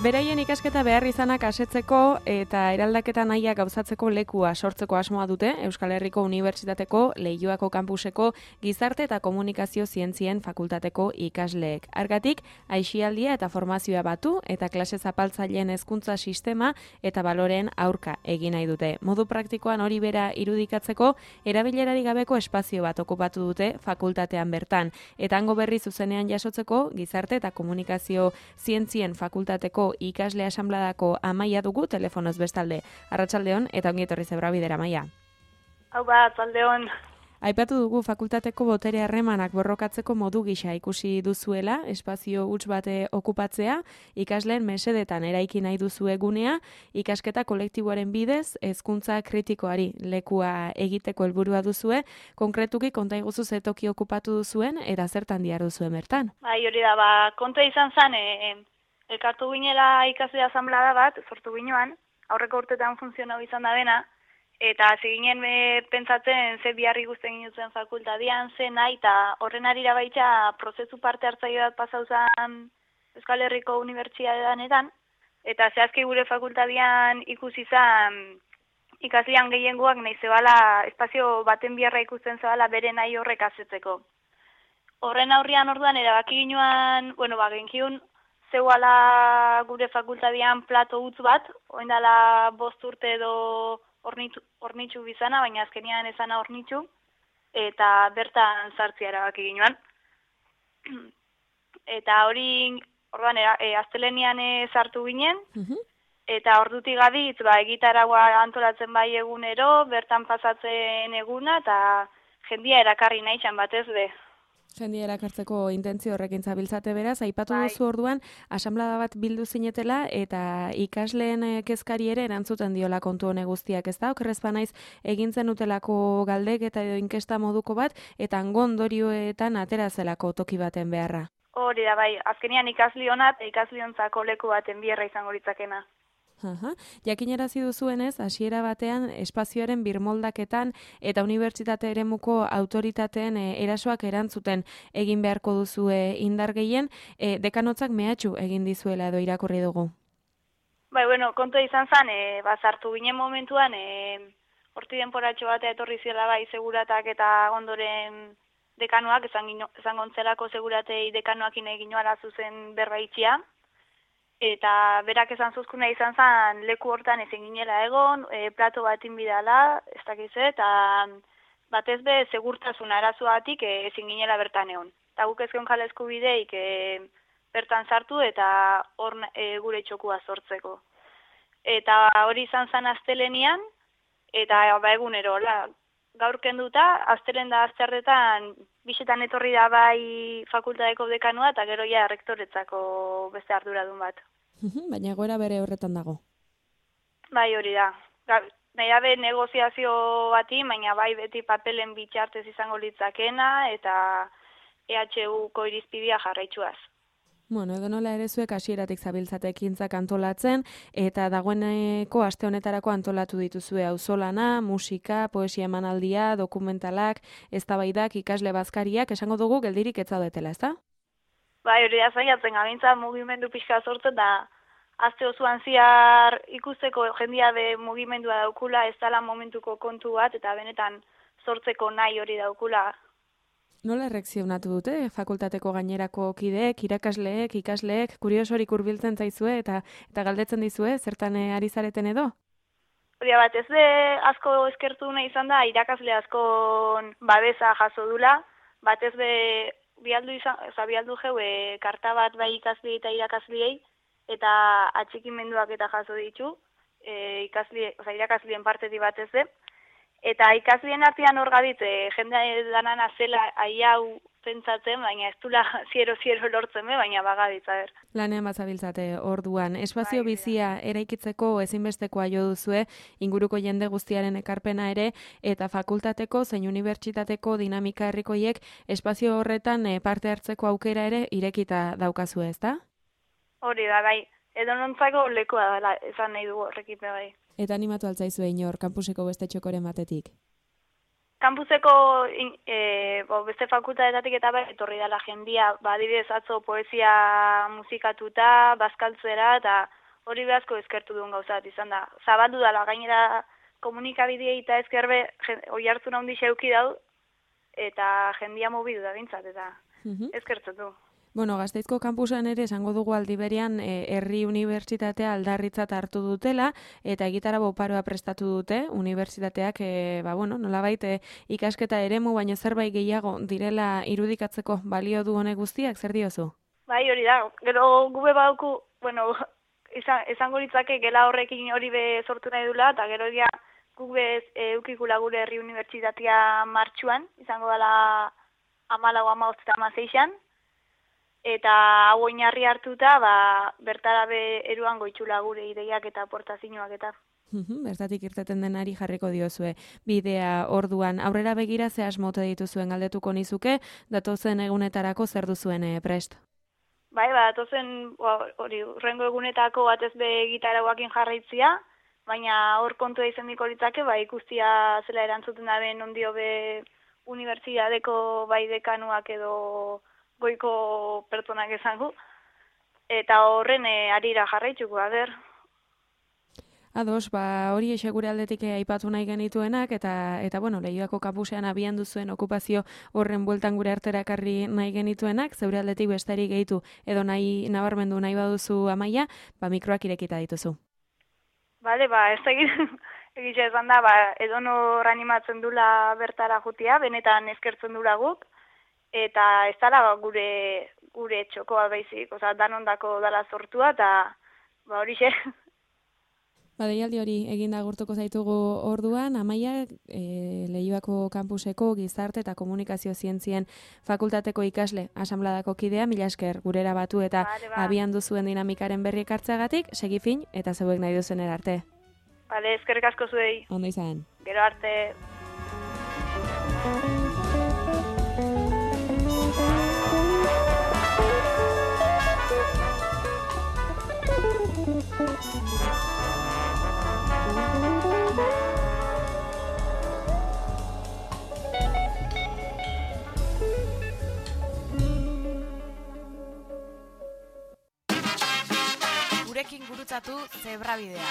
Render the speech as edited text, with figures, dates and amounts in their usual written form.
Beraien ikasketa behar izanak asetzeko eta eraldaketa nahia gauzatzeko lekua sortzeko asmoa dute Euskal Herriko Unibertsitateko Leioako kampuseko Gizarte eta Komunikazio Zientzien Fakultateko ikasleek. Hargatik, aisialdia eta formazioa batu eta klase zapaltzaileen hezkuntza sistema eta baloreen aurka egin nahi dute. Modu praktikoan hori bera irudikatzeko erabilerari gabeko espazio bat okupatu dute fakultatean bertan. Eta hango berri zuzenean jasotzeko Gizarte eta Komunikazio Zientzien Fakultateko ikasle asanbladako Amaia dugu telefonoz bestalde. Arratsaldeon eta ongi etorri Zebrabidera, Amaia. Hau bat, arratsaldeon. Aipatu dugu fakultateko botere harremanak borrokatzeko modu gisa ikusi duzuela, espazio huts bate okupatzea, ikasleen mesedetan eraiki nahi duzu egunea, ikasketa kolektiboaren bidez, hezkuntza kritikoari lekua egiteko helburua duzue, konkretuki konta iguzu ze toki okupatu duzuen eta zertan diharduzuen bertan. Bai, hori da, kontua izan zen, elkartu ginela ikasle asanblada bat, sortu ginean, aurreko urtetan funtzionau izan da dena, eta hasi ginen pentsatzen ze biharri guztien gintzen fakultadian, ze nahi, eta horren arira baita prozesu parte hartzaile bat pasau zen Euskal Herriko Unibertsitateanetan, eta zehazki gure fakultadian ikusi zen ikaslean gehiengoak nahi zebala, espazio baten biharra ikusten zebala bere nahi horrek asetzeko. Horren aurrian orduan erabaki ginoan, genkiun, zeuala gure fakultadian plato utz bat, oin dela 5 urte edo hornitxu bizana, baina azkenian ezana hornitxu, eta bertan sartzea erabaki ginoan. Eta hori, orduan, astelenian sartu ginen, eta ordutik gabitz, egitaragua antolatzen bai egunero, bertan pasatzen eguna, eta jendia erakarri nahi txan batez be. Jendia erakartzeko intentzio horrekin zabiltzate beraz, aipatu duzu orduan, asanblada bat bildu zinetela eta ikasleen kezkari ere erantzuten diola kontu hone guztiak, ez da? Okerrez banaiz egintzen utelako galdek eta edo inkesta moduko bat, eta hango ondorioetan atera zelako toki baten beharra. Hori da, azkenian ikaslionat, ikasliontzako leku baten biherra izango litzakena. Jakinarazi duzuenez, hasiera batean espazioaren birmoldaketan eta unibertsitate eremuko autoritateen erasoak erantzuten egin beharko duzue indar gehien, dekanotzak mehatxu egin dizuela edo irakurri dugu. Kontua izan zen, sartu ginen momentuan, horti denporatxo batea etorri zela seguratak eta ondoren dekanoak, esan gontzelako seguratei dekanoakin egin noara zuzen berbaitxia, eta berak esan zuzkuna izan zen leku hortan ezin ginela egon, plato batin bidala, ez dakize, eta batez be segurtasun arazoatik ezin ginela bertan egon. Eta guk ezken jala eskubideik bertan sartu eta hor gure txokua sortzeko. Eta hori izan zen astelenian, eta egunero, gaur kenduta, astelen da azterretan bisetan etorri da bai fakultateko dekanua eta gero ja rektoretzako beste arduradun bat. Baina egoera bere horretan dago. Bai, hori da. Nahi dabe negoziazio bati, baina bai beti papelen bitxartez izango litzakena eta EHUko irizpidea jarraitzuaz. Edo nola ere zuek hasieratik zabiltzate ekintzak antolatzen, eta dagoeneko aste honetarako antolatu dituzue auzolana, musika, poesia emanaldia, dokumentalak, eztabaidak, ikasle bazkariak, esango dugu geldirik ez zaudetela, ezta? Bai, hori da zaiatzen gabintza mugimendu pixka sortzen da, aste osoan ziar ikusteko jendia be mugimendua daukula, ez dala momentuko kontu bat, eta benetan sortzeko nahi hori daukula. Nola erreakzionatu dute fakultateko gainerako kideek, irakasleek, ikasleek, kuriosorik hurbiltzen zaizue eta galdetzen dizue, zertan ari zareten edo? Hori bat ez asko eskertu nahi izan da, irakasle askon babesa jaso dula, bat ez bialdu jau karta bat bai ikasle eta irakasliei, eta atxikimenduak eta jaso ditu, irakasleen partetik bat ez Eta ikaslien artean hor gabit, jende danan azela hau pentsatzen, baina ez dula ziero lortzen, baina bagabitza ber. Lanean bazabiltzate orduan. Espazio bizia eraikitzeko ezinbestekoa jo duzue, inguruko jende guztiaren ekarpena ere, eta fakultateko zein unibertsitateko dinamika herrikoiek espazio horretan parte hartzeko aukera ere irekita daukazue, ezta? Hori da, bai. Edo nontzako lekoa dela, esan nahi dugu horrekipe bai. Eta animatu altzaizue inor, kampuseko beste txokoren batetik? Kampuseko beste fakultatetatik eta etorri dela jendia, adibidez atzo poesia musikatuta, bazkaltzera, eta hori behazko eskertu duen gauzat izan da. Zabaldu dela, gainera komunikabidei eta ezkerbe oi hartzun handi xeuki dau, eta jendia mobidu da bintzat, eta ezkertzen du. Bueno, Gasteizko kampusan ere esango dugu aldi berean herri unibertsitatea aldarritzat hartu dutela eta egitarau oparoa prestatu dute unibertsitateak nolabait ikasketa eremu baino zerbait gehiago direla irudikatzeko balio du honek guztiak, zer diozu? Bai, hori da. Gero gube bauku, esango litzake gela horrekin hori be sortu nahi dula, eta gero egia gube eukikula gure herri unibertsitatea martxuan, izango dela 14-15 eta hau oinarri hartuta, bertara eruan goitxula gure ideiak eta aportazioak eta. Bertatik irteten denari jarriko diozue. Bidea orduan aurrera begira ze asmote dituzuen galdetuko nizuke, datozen egunetarako zer duzuen prest? Bai, datozen urrengo egunetako batez be gitarauakin jarraitzia, baina hor kontua izan diko litzake, ikustia zela erantzuten daben ondio be unibertsitateko bai dekanuak edo goiko pertsonak esango, eta horren arira jarraitzuko, Ados, hori eixe gure aldetik aipatu nahi genituenak, eta Leioako kampusean abian duzuen okupazio horren bueltan gure artera ekarri nahi genituenak, zeure aldetik besterik gehitu edo nahi nabarmendu nahi baduzu Amaia, mikroak irekita dituzu. Bale, ez egitxe esan da, edonor animatzen dula bertara jutia, benetan eskertzen dula guk, eta ez dala gure txokoa baizik, danondako dala sortua, eta horixe. Deialdi hori eginda agurtuko zaitugu orduan, Amaia, Leioako kampuseko gizarte eta komunikazio zientzien fakultateko ikasle asanbladako kidea, mila esker gurera batu eta abian duzuen dinamikaren berri ekartzeagatik, segi fin eta zeuek nahi duzen erarte. Bale, eskerrik asko zuei. Ondo izan. Gero arte. Gurekin gurutzatu Zebrabidea.